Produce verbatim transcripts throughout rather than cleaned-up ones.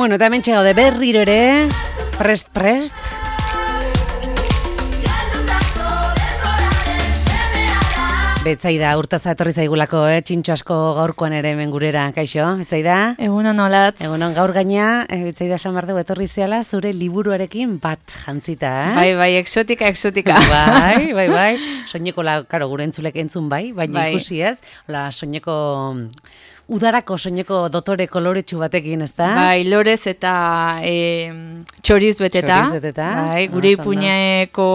Bueno, eta hemen txegaude berriro ere, prest, prest. Betzaida, urtaza etorri zaigulako, eh? Txintxo asko gaurkoan ere hemen gurera, kaixo, Betzaida? Egunon olatz. Egunon, gaur gaina, eh, Betzaida esan behar dugu etorri zeala, zure liburuarekin bat jantzita, eh? Bai, bai, exotika, exotika. Bai, bai, bai. Soineko, la, karo, gure entzulek entzun bai, baina bai. Ikusi ez, la, soineko... Udarako soineko dotore koloretsu batekin, ez da? Bai, lorez eta e, txoriz beteta. Txoriz beteta. Bai, gure ipuñeko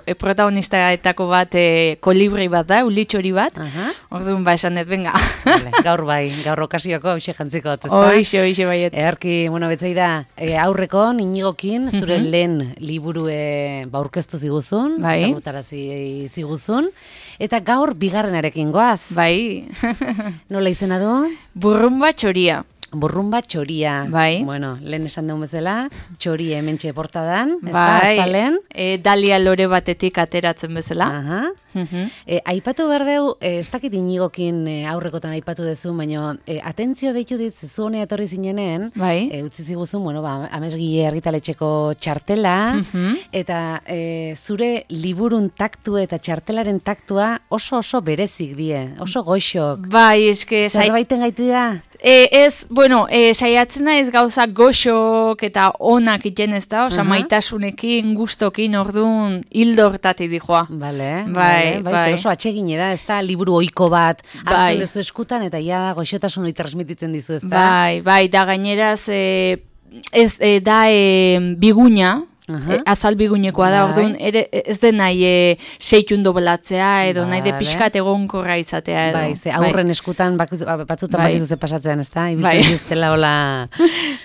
e, protagonistaetako bat e, kolibri bat da, uli txori bat. Aha. Orduan ba esan dut, venga. Vale, gaur bai, gaur okasioko hoxe jantziko, ez da? Hoxe, hoxe baiet. Earki, bueno, Betzaida, e, aurreko, Inigokin, zure mm-hmm. lehen liburu e, ba, aurkeztu ziguzun, bai. Zagutarazi ziguzun, eta gaur bigarrenarekin goaz. Bai. Nola izena du? Burrumba txoria. Burrumba txoria. Bai. Bueno, lehen esan dugun bezala, txori hementxe portadan, ez bai. da, azalen. E, dalia lore batetik ateratzen bezala. Aha. Uh-huh. E, aipatu behar deu, e, ez dakit Inigokin e, aurrekotan aipatu dezu, baina e, atentzio deitu dit, zu honea etorri zinenen, bai. e, utzi ziguzun, bueno, ba, amesgile argitaletxeko txartela, uh-huh. eta e, zure liburun taktua eta txartelaren taktua oso oso berezik die, oso goxok. Bai, eske... Zerbaiten gaiti da? E, ez, bueno, e, saiatzen da ez gauza goxok eta onak iten ez da, oza, uh-huh. maitasunekin, gustokin, orduan, hildo hortatik dijoa. Bale, bai, bai, bai. oso atsegine da, ez da, liburu ohiko bat, hartzen bai. dezu eskutan, eta ja goxotasun hori transmititzen dizu, ez da? Bai, bai, da gaineraz, e, ez e, da e, biguña, Uh-huh. E, azal bigunekoa da, bai. orduan, ere, ez den nahi e, seitun doblatzea, edo vale. nahi de pixkat egonkorra izatea, edo. Bai, ze aurren bai. eskutan, bakuz, batzutan bai. bakizu ze pasatzen, ez da? Ibiltzen bai. diztela hola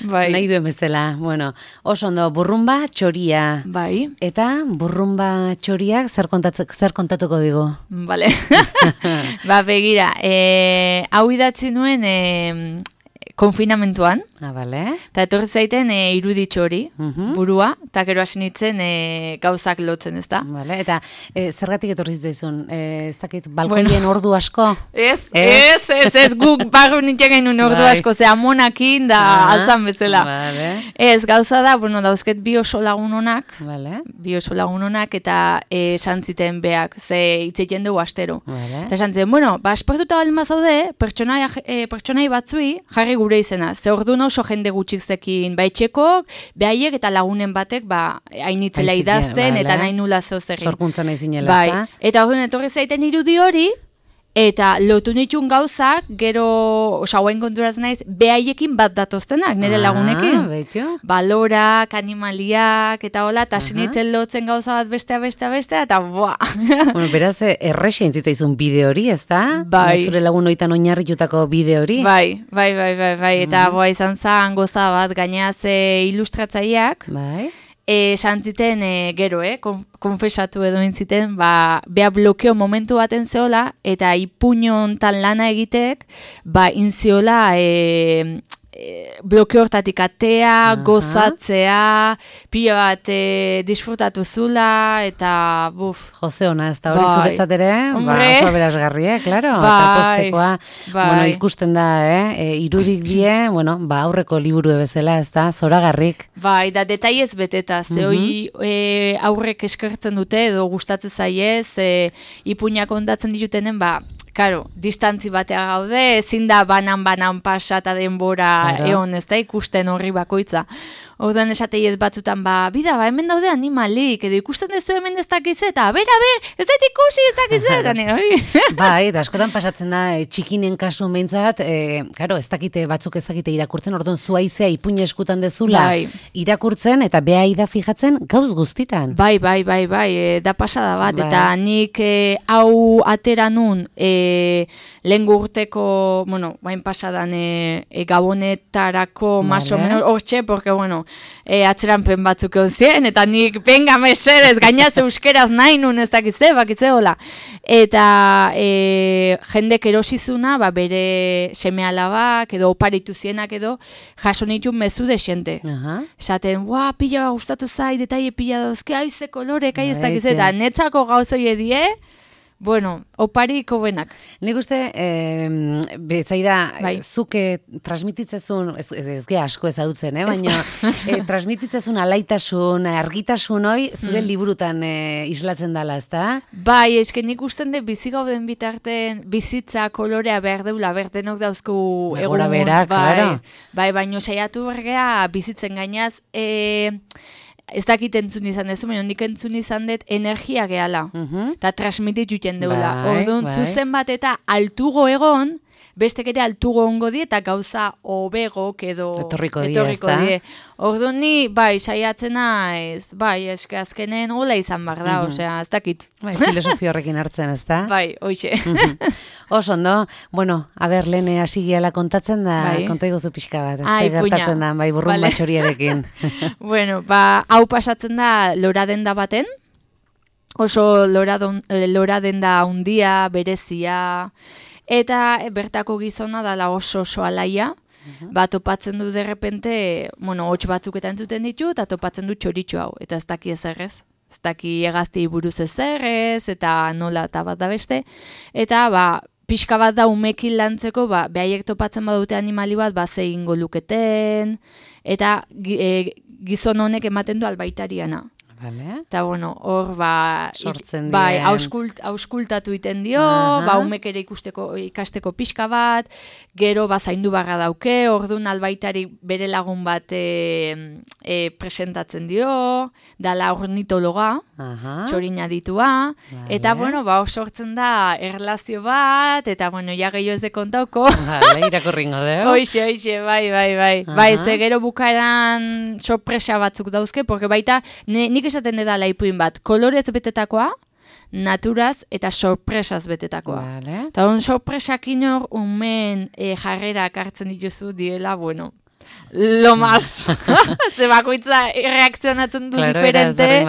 bai. nahi duen bezala. Bueno, oso ondo, burrumba txoria. Bai. Eta burrumba txoriak zer, zer kontatuko digu? Bale. Ba, begira, e, hau idatzi nuen... E, konfinamentuan, ah, vale. Eta etorri zaiten e, iruditxo hori, uh-huh. burua, eta gero hasi nintzen e, gauzak lotzen, ez da? Vale. Eta e, zergatik etorri zaizun? E, ez dakit, balkoien bueno. ordu asko? Ez, ez, ez, ez, guk barru nintzen gainun ordu bai. asko, ze amonakin da uh-huh. altzan bezala. Vale. Ez, gauza da, bueno, dauzket bi oso lagun honak, vale. bi oso lagun honak, eta e, santziten beak, ze itzeiten dugu astero. Vale. Eta santziten, bueno, ba, espartuta baldin bazaude, pertsonai, e, pertsonai batzui, jarri gure izena. Ze orduan oso jende gutxik zekin baitxekok, behaiek eta lagunen batek ba, hainitzela idazten, vale. Eta nahi nula zeo zerrin. Sorkuntza nahi zinela, bai. ezta? Eta orduan etorri zaiten irudi hori, eta lotu nitun gauzak, gero, osa, hauen konturaz naiz, behaiekin bat datoztenak, nire ah, lagunekin. Betio. Balorak, animaliak, eta hola, eta sinitzen lotzen gauza bat bestea, bestea, bestea, eta boa. Bueno, beraz, errexen zitzaizun bide hori, ez da? Bai. Zure lagun oitan oinarritutako bide hori? Bai, bai, bai, bai, bai. Eta mm. boa izan zan goza bat, gaineaz ilustratzaileak. Bai. E, santziten e, gero, eh, konfesatu edo intziten, ba, bea blokeo momentu baten zeola, eta ipuñon tan lana egitek, ba, inziola, e, e, blokeo hortatik atea, uh-huh. gozatzea, pila bat e, disfrutatu zula, eta buf. Jose ona, ez da hori bai. zuretzat ere, ba, oso berazgarri, eh, klaro, bai. eta postekoa, bai. bueno, ikusten da, eh, e, irudik die, bueno, ba, aurreko liburu bezala, ez da, zoragarrik. Bai, da detaiez beteta, ze uh-huh. hoi e, aurrek eskertzen dute, edo gustatzen zaiez, e, ipuñak ondatzen ditutenen, ba, karo, distantzi batea gaude, ezin da banan-banan pasa eta denbora claro. egon, ez da ikusten horri bakoitza. Orduan esateiet batzutan, ba, bida, ba, hemen daude animalik, edo ikusten dezu hemen ez dakiz eta, ber, ber, ez dut ikusi ez dakiz eta, hori. Bai, eta askotan pasatzen da, e, txikinen kasu behintzat, e, karo, ez dakite batzuk ez dakite irakurtzen, orduan zuaizea ipuña eskutan dezula bai. irakurtzen, eta behai da fijatzen gauz guztitan. Bai, bai, bai, bai, e, da pasada bat, bai. Eta nik e, hau atera nun, e, lehen urteko, bueno, bain pasadan e, e, gabonetarako vale. Maso menos, hortxe, porque, bueno, e, atzeranpen batzuk egon zien, eta nik, venga, mesedez, gainaz euskeraz nahi nun ez dakitze, bakitze, hola. Eta e, jendek erosizuna, ba, bere seme alabak, edo oparitu zienak edo, jaso nitun mezu de xente. Uh-huh. Esaten, ua, pila gustatu zai, detaile pila dauzke, aize kolorek, ai ez dakitze, eta netzako gauzoi edie, Bueno, opariko benak. Nik uste, eh, betzaida, bai. zuke transmititzezun, ez, ez ge asko ezagutzen, eh? baina eh, transmititzezun alaitasun, argitasun hoi, zure mm. liburutan eh, islatzen dala, ez da? Bai, eske nik usten de bizi gauden bitarten, bizitza kolorea behar deula, berdenok dauzku egun. Egora berak, bai, claro. Bai, baino saiatu bergea bizitzen gainaz, eh, ez dakit entzun izan dezu, baina nik entzun izan dut energia gehala. Eta uh-huh. transmititu iten deula. Bai, Orduan, bai. zuzen bat eta altugo egon, bestek ere altugo ongo die, eta gauza obegok edo etorriko die, etorriko ez da? die. Orduan ni, bai, saiatzena ez, bai, eske azkenen hola izan bar da, uh-huh. osea, ez dakit. Bai, filosofia horrekin hartzen, ez da? Bai, hoxe. Uh-huh. Oso, ondo, bueno, a ber, lehen hasi giala kontatzen da, bai. konta iguzu pixka bat, ez Ai, gertatzen da, bai, burrun vale. batxoriarekin. Bueno, ba, hau pasatzen da lora denda baten, oso lora, don, lora denda handia, berezia, eta bertako gizona dala oso oso alaia, uh-huh. ba, topatzen du derrepente, bueno, hots batzuk eta entzuten ditu, eta topatzen du txoritxo hau, eta ez daki ezerrez. Ez daki egazti buruz ezerrez, eta nola eta bat da beste, eta ba, pixka bat da umekin lantzeko, ba, behaiek topatzen badute animali bat, ba, ze ingo luketen, eta e, gizon honek ematen du albaitariana. Vale. Eta, bueno, hor, ba, sortzen bai, dien. auskult, auskultatu iten dio, Aha. ba, umek ere ikusteko, ikasteko pixka bat, gero, ba, zaindu barra dauke, orduan albaitari bere lagun bat e, e, presentatzen dio, dala ornitologa, Aha. txorina ditua, vale. Eta, bueno, ba, hor sortzen da erlazio bat, eta, bueno, ja gehiago ez de kontauko. Vale, irakurringo deo. Hoxe, hoxe, bai, bai, bai. Aha. Bai, ze gero bukaeran sorpresa batzuk dauzke, porque baita, ne, nik esaten dela ipuin bat, kolorez betetakoa, naturaz eta sorpresaz betetakoa. Vale. Eta hon sorpresak inor, umen e, jarrerak hartzen dituzu diela, bueno, lo más. Ze bakoitza reakzionatzen du claro, diferente.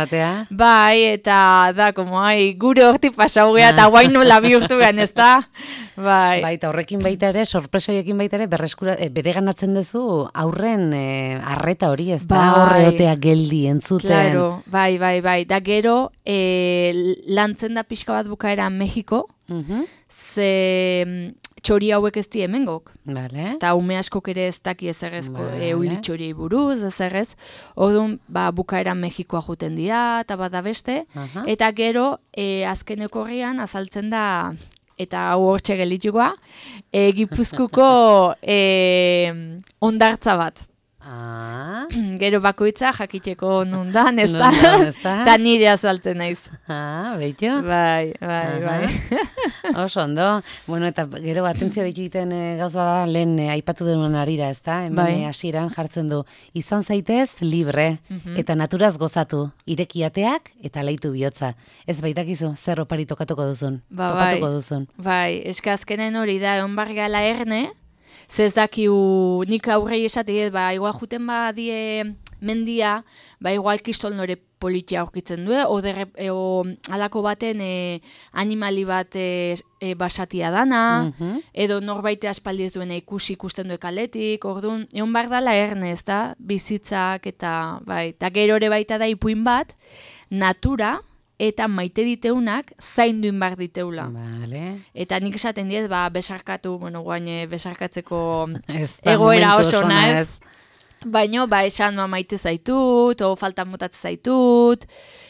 Bai, eta da, como, ai, gure horti pasau gea, eta guain nola bihurtu gehan, ez da? Bai. Bai, eta horrekin baita ere, sorpresa horiekin baita ere, berreskura, e, bere ganatzen duzu aurren e, arreta hori, ez da? Bai. Horreotea geldi entzuten. Claro, bai, bai, bai. Da gero, e, lantzen da pixka bat bukaera Mexiko, uh-huh. ze txori hauek ez di hemengok. Vale. Eta ume askok ere ez daki ezerrezko vale. euli txoriei buruz, ezerrez. Orduan, ba, bukaera Mexikoa juten dira, eta bat da beste. Uh-huh. Eta gero, e, azkeneko horrian, azaltzen da, eta hau hortxe gelitxukoa, e, Gipuzkuko e, ondartza bat. Ah. Gero bakoitza jakiteko nundan, ez da? Eta nire azaltzen naiz. Ah, behitu? Bai, bai, bai. Oso ondo. Bueno, eta gero atentzio egiten e, gauza da, lehen e, aipatu denuen arira, ez da? Hemen bai. Hasieran jartzen du. Izan zaitez libre, uh-huh. eta naturaz gozatu, irekiateak eta leitu bihotza. Ez baitakizu, zer opari tokatuko duzun, ba, topatuko bai. duzun. Bai, eske azkenen hori da, egon bargala erne, zez dakiu nik aurrei esate, ba, igual juten badie mendia, ba, igual kistolnore politia aurkitzen du, o, derre, e, o alako baten e, animali bat e, e, basatia dana, uh-huh. edo norbaite aspaldi ez duena ikusi ikusten du kaletik, orduan, egon bar dala erne, ez da, bizitzak, eta, bai, eta gero ere baita da ipuin bat, natura, eta maite diteunak zainduin bar diteula. Vale. Eta nik esaten diez, ba, besarkatu, bueno, guain besarkatzeko da, egoera oso zona naz. Baina, ba, esan ma maite zaitut, o faltan botatzen zaitut,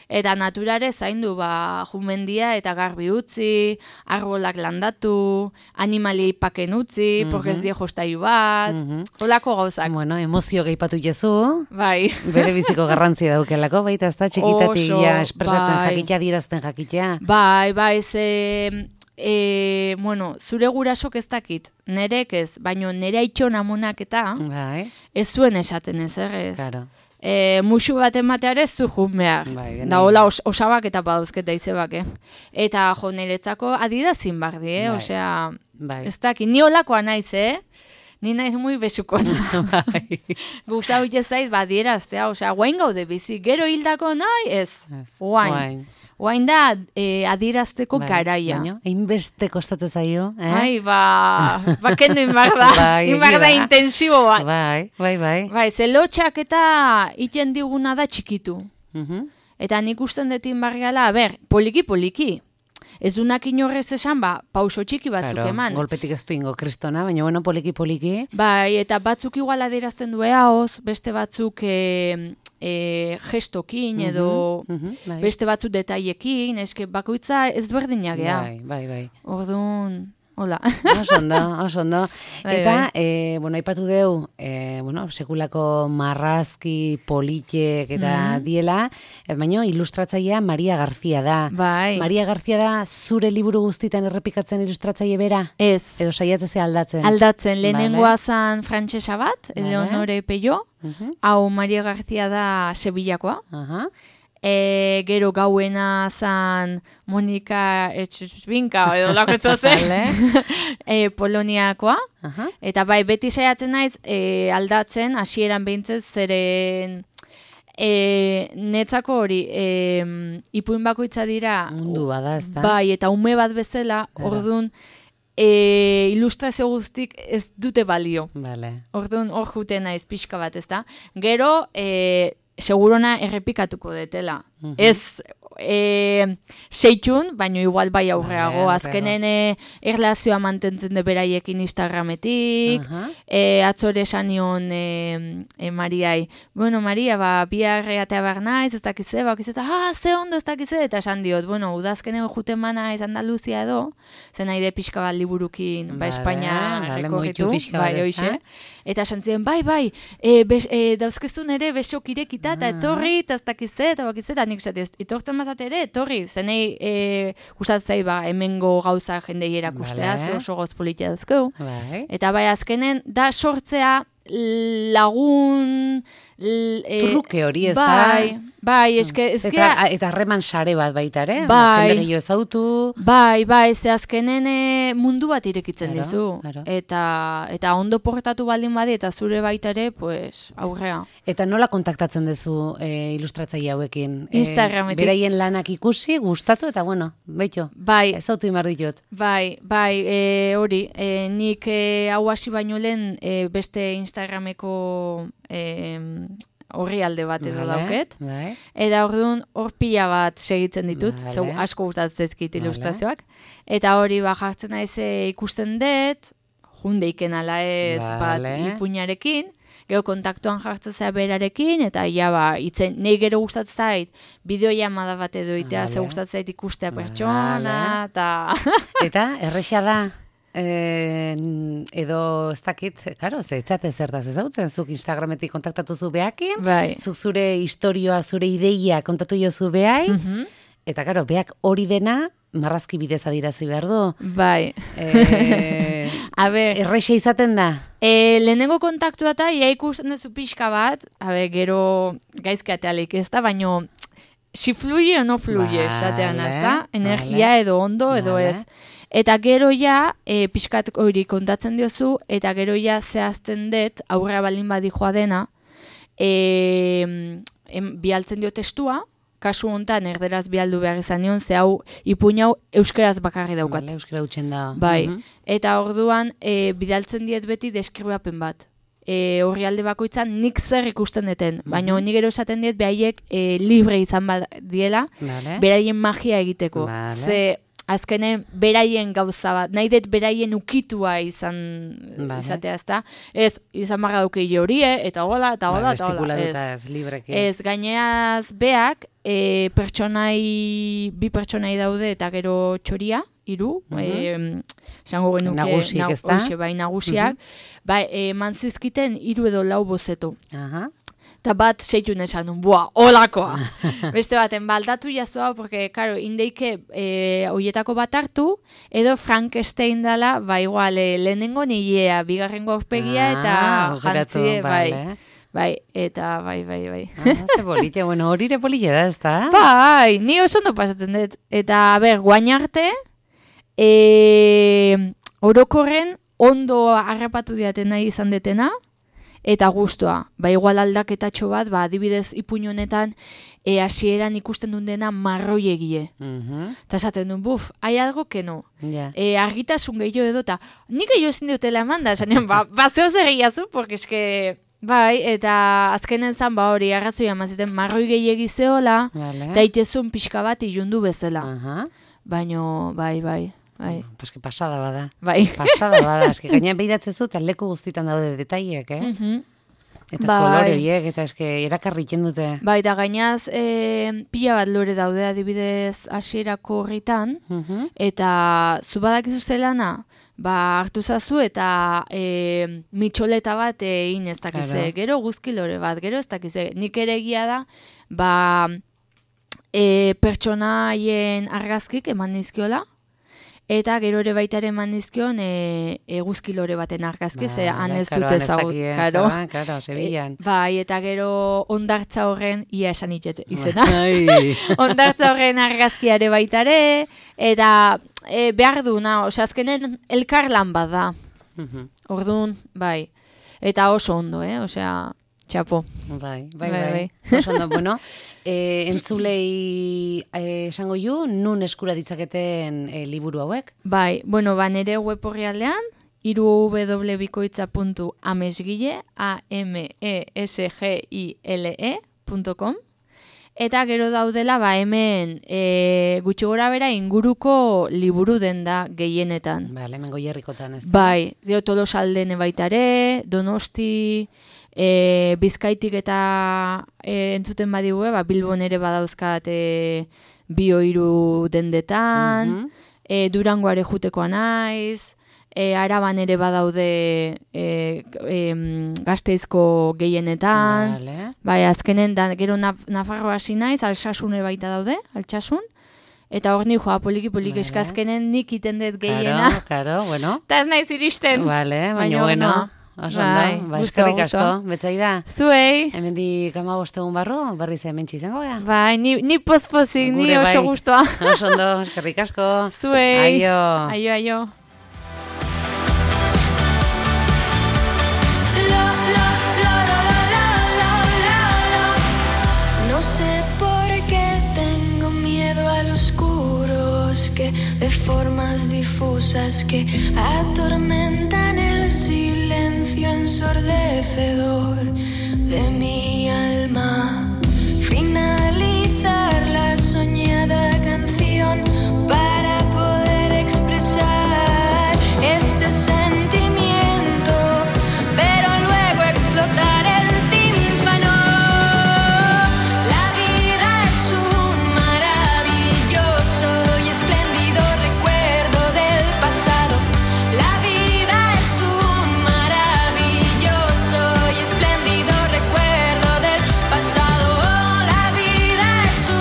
eta naturare zaindu, ba, jumendia eta garbi utzi, arbolak landatu, animaliei paken utzi, mm-hmm. porque ez die jostaiu bat, mm-hmm. holako gauzak. Bueno, emozio geipatu jezu, bai. bere biziko garrantzia daukelako, baita ez da txikitatik ja espresatzen bai. Jakitea, dirazten jakitea. Bai, bai, ze... E, bueno, zure gurasok ez dakit, nerek ez, baino nere aitxon amonak eta bai. Ez zuen esaten ez, errez. Claro. E, musu bat emateare zu jun behar. Bai, da hola os, osabak eta badauzketa izebak, eh? Eta jo, niretzako adierazin bardi, eh? Bai. Osea, bai. ez dakit, ni holakoa naiz, eh? Ni naiz muy besukona. Bai. Guztau itezaiz badieraztea, osea, guain gaude bizi, gero hildako nahi, ez, guain. Oain da, e, adirazteko bai, garaia. Baina, einbeste kostatzen zaio. Eh? Ai, ba, bakendu inbar da. Bai, inbar da intensibo bat. Bai, bai, bai. Bai, ze lotxak eta iten diguna da txikitu. Uh-huh. Eta nik usten dut inbargala, ber, poliki-poliki. ez dunak inorrez esan, ba, pauso txiki batzuk claro, eman. Golpetik ez du ingo kristona, baina bueno, poliki-poliki. Bai, eta batzuk igual adierazten du eaoz, beste batzuk e, e, gestokin edo uh -huh, uh -huh, beste batzuk detailekin, eske bakoitza ez berdinak gea. Bai, bai, bai. Orduan, hola. Oso ondo, oso ondo. Eta, e, bueno, aipatu deu, e, bueno, sekulako marrazki, politek eta mm. diela, e, baina ilustratzailea Maria Garzia da. Bai. Maria Garzia da zure liburu guztitan errepikatzen ilustratzaile bera? Ez. Edo saiatzen ze aldatzen? Aldatzen, lehenengoa vale. Zan frantsesa bat, vale. Eleonore Peio, uh -huh. hau Maria Garzia da Sevillakoa. Uh -huh. E, gero gauena zan Monika Etxuzbinka edo lako zen e, Poloniakoa uh -huh. Eta bai beti saiatzen naiz e, aldatzen hasieran behintzez zeren e, netzako hori e, ipuin bakoitza dira mundu bada ez da bai eta ume bat bezala orduan e, ilustrazio guztik ez dute balio vale. Orduan hor juten naiz pixka bat ez da gero e, segurona errepikatuko detela. Uh -huh. Ez e, seitxun, baina igual bai aurreago. Vale, azkenen e, erlazioa mantentzen de beraiekin Instagrametik. Uh -huh. e, atzore sanion e, e, Mariai. Bueno, Maria, ba, biarre atea behar naiz, ez dakize, ba, kize, ah, ze ondo ez dakize, eta esan diot, bueno, udazkenen juten mana ez Andaluzia edo, zen nahi de pixka bat liburukin, vale, ba, Espainia vale, rekorritu, bai, hoxe. Eta esan ziren, bai, bai, e, bes, e, dauzkezun ere besok irekita, eta etorri, eta ez dakize, eta bakize, eta nik esatez, etortzen mazate ere, etorri, zenei e, gustatzei ba, hemengo gauza jendei erakustea, vale. Oso goz politia dazkeu. Bai. Eta bai, azkenen, da sortzea lagun... L, e, Turruke hori ez bai, da? Bai, eske... Ez eta, eta harreman sare bat baita ere? Bai. Jende gehiago ezautu? Bai, bai, ze azkenen mundu bat irekitzen claro, dizu. Claro. Eta, eta ondo porretatu baldin badi, eta zure baita ere, pues, aurrea. Eta nola kontaktatzen duzu e, ilustratzaile hauekin? Instagrametik. E, beraien lanak ikusi, gustatu, eta bueno, beito, bai. ezautu imar ditut. Bai, bai, e, hori, e, nik e, hau hasi baino lehen e, beste Instagrameko... E, horri alde bat edo vale, dauket. Bai. Eta orduan hor pila bat segitzen ditut, vale. Zau asko gustatzen ezkit ilustrazioak. Vale. Eta hori ba jartzen naiz ikusten dut, jundeiken ala ez vale. Bat ipuinarekin, gero kontaktuan jartzen zea berarekin, eta ja ba, itzen, nahi gero gustatzen zait, bideo llamada bat edo itea, vale. Ze gustatzen zait ikustea pertsona, eta... Eta, erresa da? Eh, edo ez dakit, karo, ze etxate zertaz ezautzen, zuk Instagrametik kontaktatu zu behakin, bai. Zuk zure historioa, zure ideia kontatu jo zu behai, mm-hmm. Eta karo, behak hori dena marrazki bidez adirazi behar du. Bai. Eh, a ber, erreixa izaten da? E, lehenengo kontaktua eta ia ikusten duzu pixka bat, a ber, gero gaizkatealik ez da, baino si fluye o no fluye, esatean vale, ez da, energia vale. Edo ondo edo vale. Ez. Eta gero ja, e, pixkat hori kontatzen diozu, eta gero ja zehazten dut, aurrera baldin badi joa dena, e, em, bialtzen dio testua, kasu honetan erderaz bialdu behar izan nion, ze hau ipuin hau euskeraz bakarri daukat. Vale, euskera utxen da. Bai, uh-huh. Eta orduan e, bidaltzen diet beti deskribapen bat. E, horri alde bakoitzan nik zer ikusten deten, uh-huh. Baina nik gero esaten diet behaiek e, libre izan diela, vale. Beraien magia egiteko. Vale. Ze azkenen beraien gauza bat, nahi dut beraien ukitua izan vale. Izatea ez da. Ez, izan marra duke horie, eta hola, eta hola, eta hola. Ez, ez, libreki. Ez, gaineaz beak, e, pertsonai, bi pertsonai daude eta gero txoria, hiru, uh-huh. e, esango genuke nagusik, na, ez da? Oxe, bai, nagusiak, uh-huh. Bai, e, manzizkiten hiru edo lau bozeto. Aha. Eta bat seitun esan duen, bua, holakoa. Beste baten, baldatu jazua, porque, karo, indeike e, oietako bat hartu, edo Frankenstein dela, ba, igual, e, lehenengo nilea, bigarrengo aurpegia, eta ah, jantzie, bai. Vale. Bai, eta bai, bai, bai. Ah, ze polite, bueno, hori ere polite da, ez da? Bai, ni oso ondo pasatzen dut. Eta, a ber, guain arte, e, orokorren ondo harrapatu diaten nahi izan detena, eta guztua, ba igual aldaketatxo bat, ba adibidez ipuin honetan e, hasieran ikusten duen dena marroi egie. Uh-huh. Eta esaten duen, buf, hai algo que no. Yeah. E, argitasun gehiago edo, eta nik gehiago ezin dutela eman da, esan ba, ba zeo zer egiazu, porque eske, bai, eta azkenen zan, ba hori, arrazoia maziten, marroi gehiagi zeola, vale. Eta itezun pixka bat ilundu bezala. Uh-huh. baino, bai, bai. Bai. Paske pasada bada. Bai. Pasada bada. Eske gainean behiratzen zu, eta leku guztitan daude detaiek, eh? Mhm. Eta bai. Kolore horiek, eta eske erakarri iten dute. Bai, da gainaz, e, pila bat lore daude adibidez hasierako horritan, uh-huh. eta zu badakizu zelana, ba, hartu zazu eta e, mitxoleta bat egin ez dakize, gero guzki lore bat, gero ez dakize, nik ere egia da, ba, e, pertsonaien argazkik eman nizkiola, eta gero ere baita ere eman dizkion e, eguzki lore baten argazki, ze han ez dut ezagut. Karo, karo, Sevillan. E, bai, eta gero ondartza horren, ia esan itxet izena. Ondartza horren argazkiare baita ere, eta e, behar du, na, ose, azkenen elkarlan bat da. Orduan, bai. Eta oso ondo, eh? Osea, txapo. Bai, bai, bai. bai. Oso ondo, bueno, e, entzulei e, esango ju, nun eskura ditzaketen e, liburu hauek? Bai, bueno, ba, nere web horrialdean, irubebikoitza puntu amesgile, a m e s g i l e punto com, eta gero daudela, ba, hemen e, gutxi gora bera inguruko liburu den da gehienetan. Ba, hemen goierrikotan ez da. Bai, dio Tolosaldene baitare, Donosti, E, Bizkaitik eta e, entzuten badigue, ba, Bilbon ere badauzkat e, bio hiru dendetan, mm-hmm. e, Durangoare jutekoa naiz, e, Araban ere badaude e, e, Gasteizko gehienetan, vale. Bai, azkenen, da, gero naf, Nafarroa hasi naiz, Altsasune baita daude, Altsasun, eta hor ni joa poliki-poliki vale. Eskazkenen nik iten dut gehiena. Karo, karo, bueno. Ta ez naiz iristen. Vale, baina bueno. Oso ondo, ba, eskerrik asko, betzaida. Zuei. Hemendik hamabost egun barru, berriz hementsi izango gara. Bai, ni, ni pospozik, ni oso bai. Gustoa. Oso ondo, eskerrik asko. Zuei. Aio. Aio, aio. No sé por qué tengo miedo a los oscuros, que de formas difusas que atormentan el silencio ensordecedor.